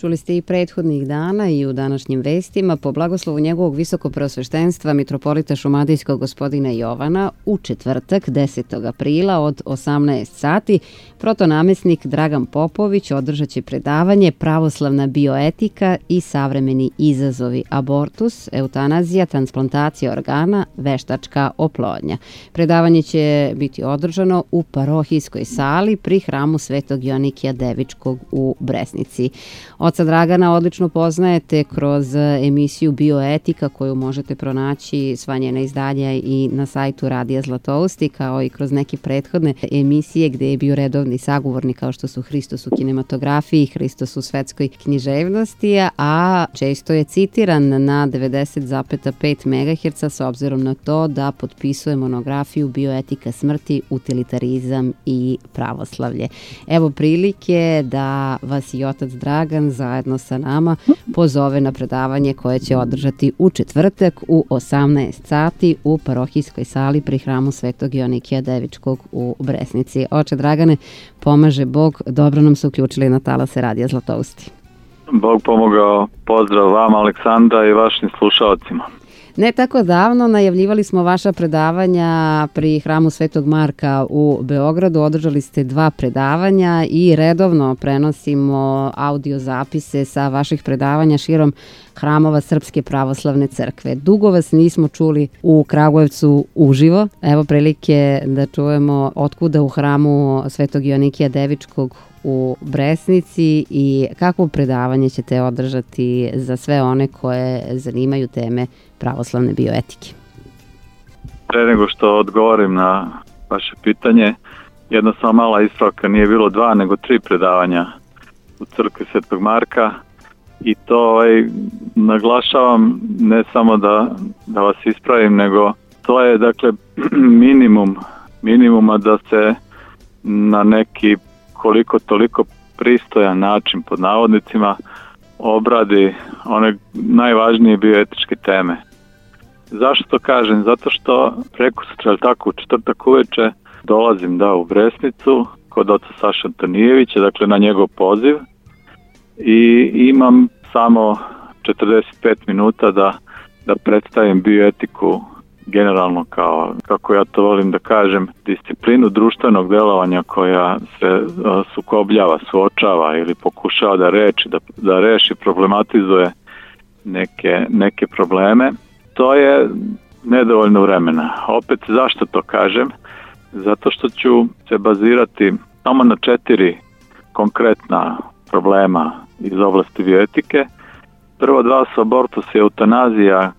Čuli ste i prethodnih dana i u današnjim vestima po blagoslovu njegovog visokopreosveštenstva mitropolita šumadijskog gospodina Jovana u četvrtak 10. aprila od 18 sati protonamesnik Dragan Popović održat će predavanje Pravoslavna bioetika i savremeni izazovi, abortus, eutanazija, transplantacija organa, veštačka oplodnja. Predavanje će biti održano u parohijskoj sali pri hramu Svetog Joanikija Devičkog u Bresnici. Oca Dragana odlično poznajete kroz emisiju Bioetika koju možete pronaći sva njena izdanja i na sajtu Radija Zlatousti, kao i kroz neke prethodne emisije gde je bio redovni sagovornik kao što su Hristos u kinematografiji, Hristos u svetskoj književnosti, a često je citiran na 90,5 MHz s obzirom na to da potpisuje monografiju Bioetika smrti, utilitarizam i pravoslavlje. Evo prilike da vas i otac Dragan zajedno sa nama pozove na predavanje koje će održati u četvrtak u 18 sati u parohijskoj sali pri hramu Svetog Joanikija Devičkog u Bresnici. Oče Dragane, pomaže Bog, dobro nam se uključili na talase Radija Zlatousti. Bog pomogao, pozdrav vama Aleksandra i vašim slušalcima. Ne tako davno najavljivali smo vaša predavanja pri hramu Svetog Marka u Beogradu. Održali ste 2 predavanja i redovno prenosimo audio zapise sa vaših predavanja širom hramova Srpske pravoslavne crkve. Dugo vas nismo čuli u Kragujevcu uživo. Evo prilike da čujemo otkuda u hramu Svetog Joanikija Devičkog u Bresnici i kakvo predavanje ćete održati za sve one koje zanimaju teme pravoslavne bioetike. Pre nego što odgovorim na vaše pitanje, jedna samo mala ispravka, nije bilo 2 nego 3 predavanja u crkvi Svetog Marka i to naglašavam ne samo da vas ispravim, nego to je dakle minimuma da se na neki koliko toliko pristojan način pod navodnicima obradi one najvažnije bioetičke teme. Zašto to kažem? Zato što prekosutra, tako u četvrtak uveče dolazim u Bresnicu kod oca Saša Antonijevića, dakle na njegov poziv i imam samo 45 minuta da predstavim bioetiku generalno kao, kako ja to volim da kažem, disciplinu društvenog delovanja koja se sukobljava, suočava ili pokušava da reši, problematizuje neke probleme. To je nedovoljno vremena. Opet zašto to kažem? Zato što ću se bazirati samo na 4 konkretna problema iz oblasti bioetike. Prvo 2 su abortus i eutanazija,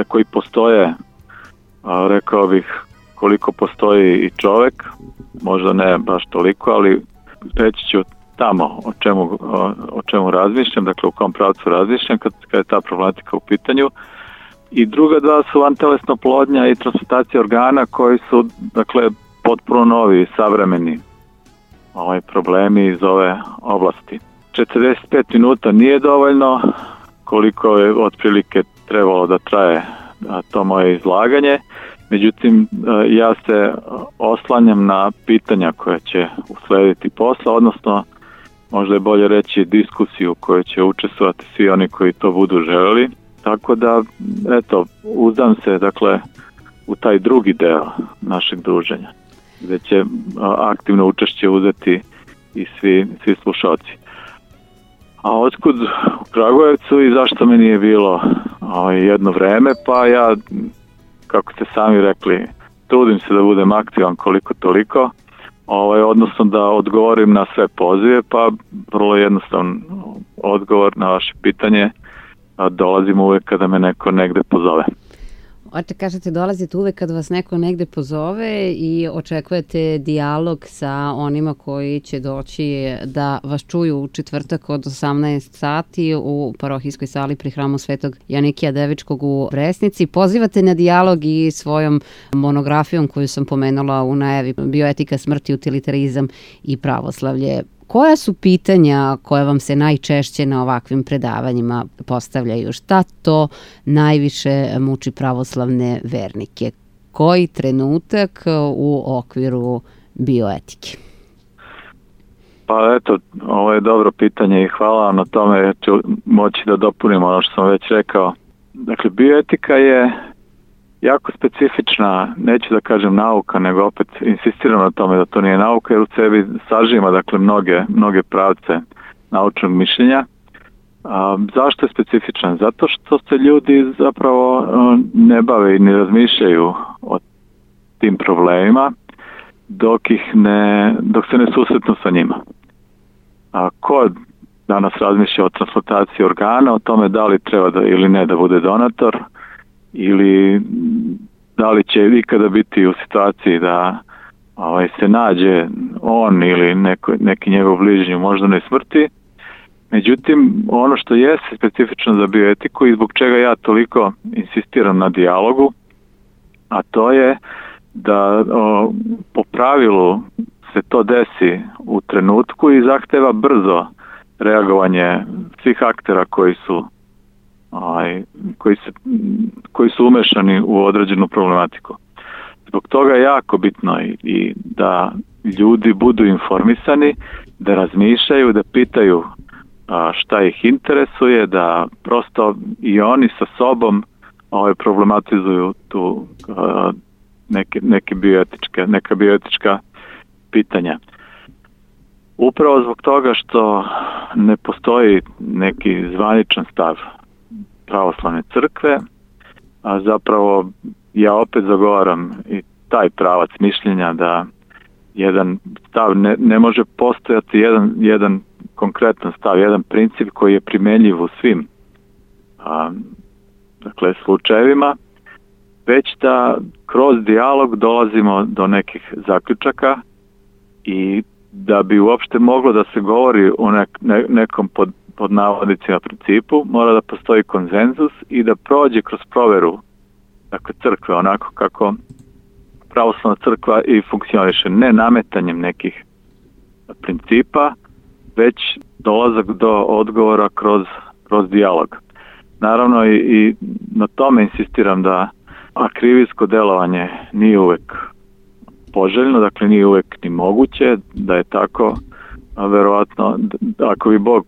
koji postoje, rekao bih, koliko postoji i čovek, možda ne baš toliko, ali reći ću tamo o čemu razmišljam, dakle u kom pravcu razmišljam kad je ta problematika u pitanju. I druga 2 su vantelesna oplodnja i transplantacija organa koji su, dakle, potpuno novi, savremeni problemi iz ove oblasti. 45 minuta nije dovoljno, koliko je otprilike trebalo da traje to moje izlaganje. Međutim, ja se oslanjam na pitanja koja će uslediti posle, odnosno možda je bolje reći diskusiju u kojoj će učestvovati svi oni koji to budu želeli. Tako da, uzdam se, dakle, u taj drugi deo našeg druženja, gde će aktivno učešće uzeti i svi slušalci. A otkud u Kragujevcu i zašto me nije bilo jedno vreme? Pa ja, kako ste sami rekli, trudim se da budem aktivan koliko toliko, odnosno da odgovorim na sve pozive, pa vrlo jednostavan odgovor na vaše pitanje, dolazim uvek kada me neko negde pozove. Oče, kažete dolazite uvek kad vas neko negde pozove i očekujete dijalog sa onima koji će doći da vas čuju u četvrtak od 18 sati u parohijskoj sali pri hramu Svetog Joanikija Devičkog u Bresnici. Pozivate na dijalog i svojom monografijom koju sam pomenula u najavi Bioetika smrti, utilitarizam i pravoslavlje. Koja su pitanja koje vam se najčešće na ovakvim predavanjima postavljaju? Šta to najviše muči pravoslavne vernike? Koji trenutak u okviru bioetike? Pa eto, ovo je dobro pitanje i hvala vam na tome, jer ću moći da dopunim ono što sam već rekao. Dakle, bioetika je jako specifična, neću da kažem nauka, nego opet insistiram na tome da to nije nauka, jer u sebi sažima dakle mnoge pravce naučnog mišljenja. Zašto je specifičan? Zato što se ljudi zapravo ne bave i ne razmišljaju o tim problemima dok se ne susretnu sa njima. Ko danas razmišlja o transplantaciji organa, o tome da li treba da ili ne da bude donator, ili da li će ikada biti u situaciji da se nađe on ili neki njegov bližnji u moždanoj smrti. Međutim, ono što je specifično za bioetiku i zbog čega ja toliko insistiram na dijalogu, a to je da po pravilu se to desi u trenutku i zahteva brzo reagovanje svih aktera koji su umešani u određenu problematiku. Zbog toga je jako bitno i da ljudi budu informisani, da razmišljaju, da pitaju šta ih interesuje, da prosto i oni sa sobom problematizuju tu neka bioetička pitanja. Upravo zbog toga što ne postoji neki zvaničan stav pravoslavne crkve, a zapravo ja opet zagovaram i taj pravac mišljenja da jedan stav ne može postojati jedan konkretan stav, jedan princip koji je primjenjiv u svim slučajevima, već da kroz dijalog dolazimo do nekih zaključaka i da bi uopšte moglo da se govori o nekom pod navodnicima principu, mora da postoji konsenzus i da prođe kroz proveru crkve onako kako pravoslavna crkva i funkcioniše, ne nametanjem nekih principa, već dolazak do odgovora kroz dijalog. Naravno i na tome insistiram da akrivijsko delovanje nije uvek poželjno, dakle nije uvek ni moguće, da je tako verovatno, ako bi Bog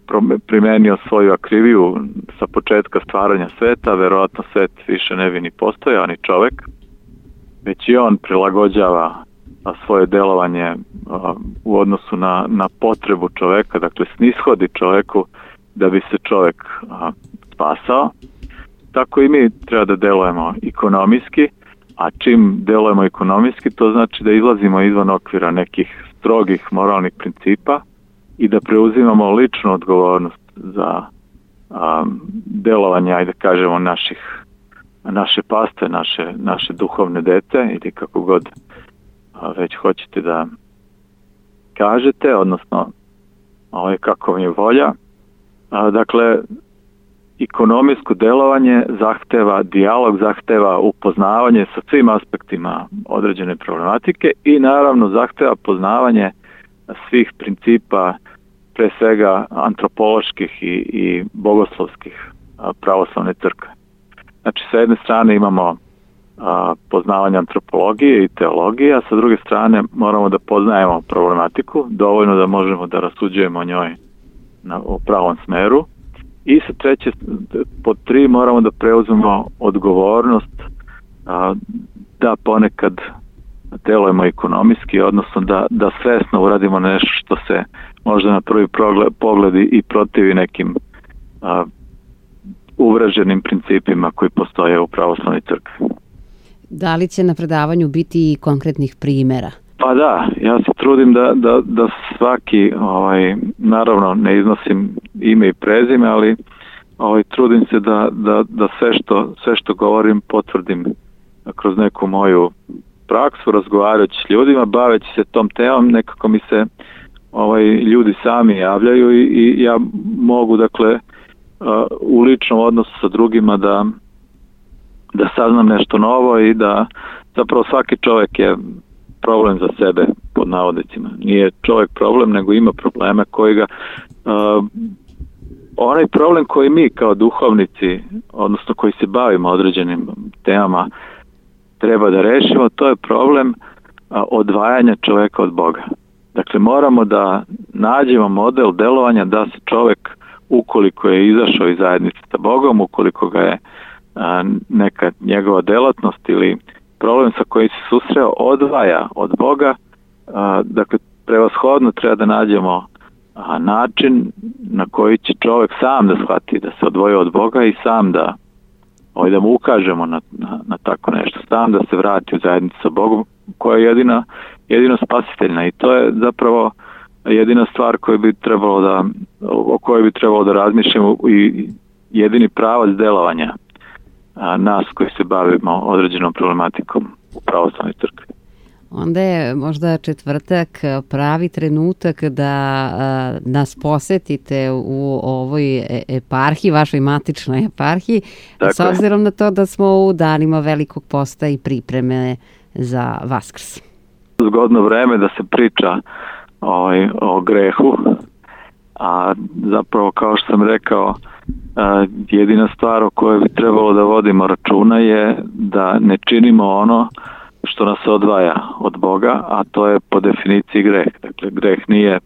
primenio svoju akriviju sa početka stvaranja sveta, verovatno svet više ne bi ni postojao, ni čovek, već i on prilagođava svoje delovanje u odnosu na potrebu čoveka, dakle snishodi čoveku da bi se čovek spasao. Tako i mi treba da delujemo ekonomijski, a čim delujemo ekonomijski, to znači da izlazimo izvan okvira nekih strogih moralnih principa i da preuzimamo ličnu odgovornost za delovanje, ajde kažemo, naše paste, naše duhovne dete ili kako god već hoćete da kažete, odnosno kako vam je volja. Dakle, ekonomijsko delovanje zahteva dijalog, zahteva upoznavanje sa svim aspektima određene problematike i naravno zahteva poznavanje svih principa, pre svega antropoloških i bogoslovskih pravoslavne crkve. Znači, sa jedne strane imamo poznavanje antropologije i teologije, a sa druge strane moramo da poznajemo problematiku, dovoljno da možemo da rasuđujemo o njoj u pravom smeru. I sa treće, pod 3, moramo da preuzmemo odgovornost da ponekad delujemo ekonomijski, odnosno da svesno uradimo nešto što se možda na prvi pogled i protivi nekim uvreženim principima koji postoje u pravoslavnoj crkvi. Da li će na predavanju biti i konkretnih primjera? Pa da, ja se trudim da svaki, naravno ne iznosim ime i prezime, ali trudim se da sve što govorim potvrdim kroz neku moju praksu, razgovarajući s ljudima, baveći se tom temom, nekako mi se ljudi sami javljaju i ja mogu, dakle, u ličnom odnosu sa drugima da saznam nešto novo i da zapravo svaki čovjek je problem za sebe, pod navodnicima. Nije čovjek problem, nego ima probleme koji ga onaj problem koji mi kao duhovnici, odnosno koji se bavimo određenim temama, treba da rešimo, to je problem odvajanja čovjeka od Boga. Dakle, moramo da nađemo model delovanja da se čovek, ukoliko je izašao iz zajednice sa Bogom, ukoliko ga je neka njegova delatnost ili problem sa kojim se susreo odvaja od Boga, dakle prevashodno treba da nađemo način na koji će čovek sam da shvati da se odvoji od Boga i sam da mu ukažemo na tako nešto, sam da se vrati u zajednicu sa Bogom koja je jedino spasiteljna, i to je zapravo jedina stvar o kojoj bi trebalo da razmišljamo i jedini pravac delovanja nas koji se bavimo određenom problematikom u pravoslavnoj crkvi. Onda je možda četvrtak pravi trenutak da nas posetite u ovoj eparhiji, vašoj matičnoj eparhiji, s obzirom na to da smo u danima Velikog posta i pripreme za Vaskrs. Zgodno vreme da se priča o grehu, a zapravo, kao što sam rekao, jedina stvar o kojoj bi trebalo da vodimo računa je da ne činimo ono što nas odvaja od Boga, a to je po definiciji greh. Dakle, greh nije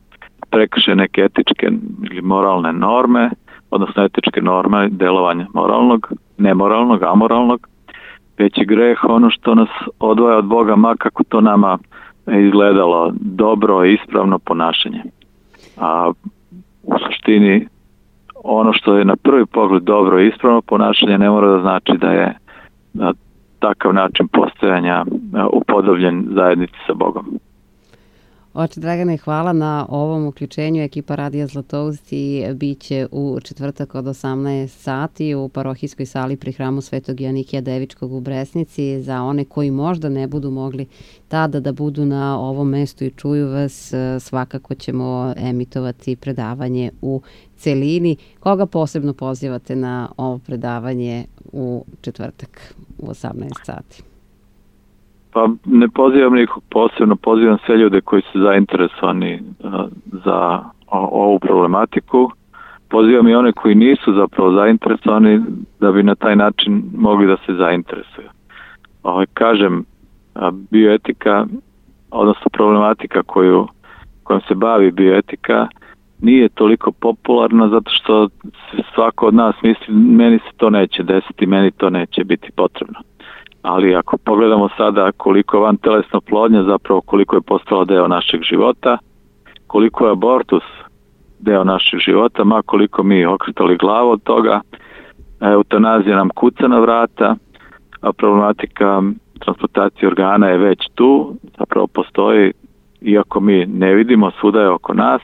prekršaj neke etičke ili moralne norme, odnosno etičke norme delovanja moralnog, nemoralnog, amoralnog, već je greh ono što nas odvaja od Boga, ma kako to nama izgledalo dobro i ispravno ponašanje. A u suštini ono što je na prvi pogled dobro i ispravno ponašanje ne mora da znači da je takav način postojanja upodobljen zajednici sa Bogom. Oče Dragane, hvala na ovom uključenju. Ekipa Radija Zlatousti biće u četvrtak od 18 sati u parohijskoj sali pri hramu Svetog Joanikija Devičkog u Bresnici. Za one koji možda ne budu mogli tada da budu na ovom mestu i čuju vas, svakako ćemo emitovati predavanje u celini. Koga posebno pozivate na ovo predavanje u četvrtak u 18 sati? Pa ne pozivam nikog posebno, pozivam sve ljude koji su zainteresovani za ovu problematiku. Pozivam i one koji nisu zapravo zainteresovani da bi na taj način mogli da se zainteresuju. Kažem, bioetika, odnosno problematika kojom se bavi bioetika, nije toliko popularna zato što svako od nas misli meni se to neće desiti, meni to neće biti potrebno. Ali ako pogledamo sada koliko je vantelesna oplodnja, zapravo koliko je postala deo našeg života, koliko je abortus deo našeg života, ma koliko mi okretali glavu od toga, eutanazija nam kuca na vrata, a problematika transplantacije organa je već tu, zapravo postoji, iako mi ne vidimo, svuda je oko nas,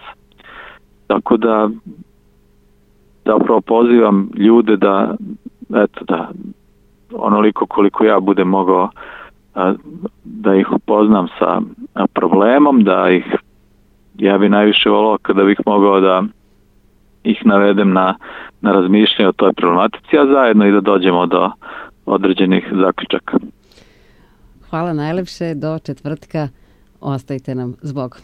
tako da zapravo pozivam ljude da onoliko koliko ja budem mogao da ih upoznam sa problemom, ja bi najviše volao kada bih mogao da ih navedem na razmišljanje o toj problematici, a zajedno i da dođemo do određenih zaključaka. Hvala najlepše, do četvrtka, ostajte nam s Bogom.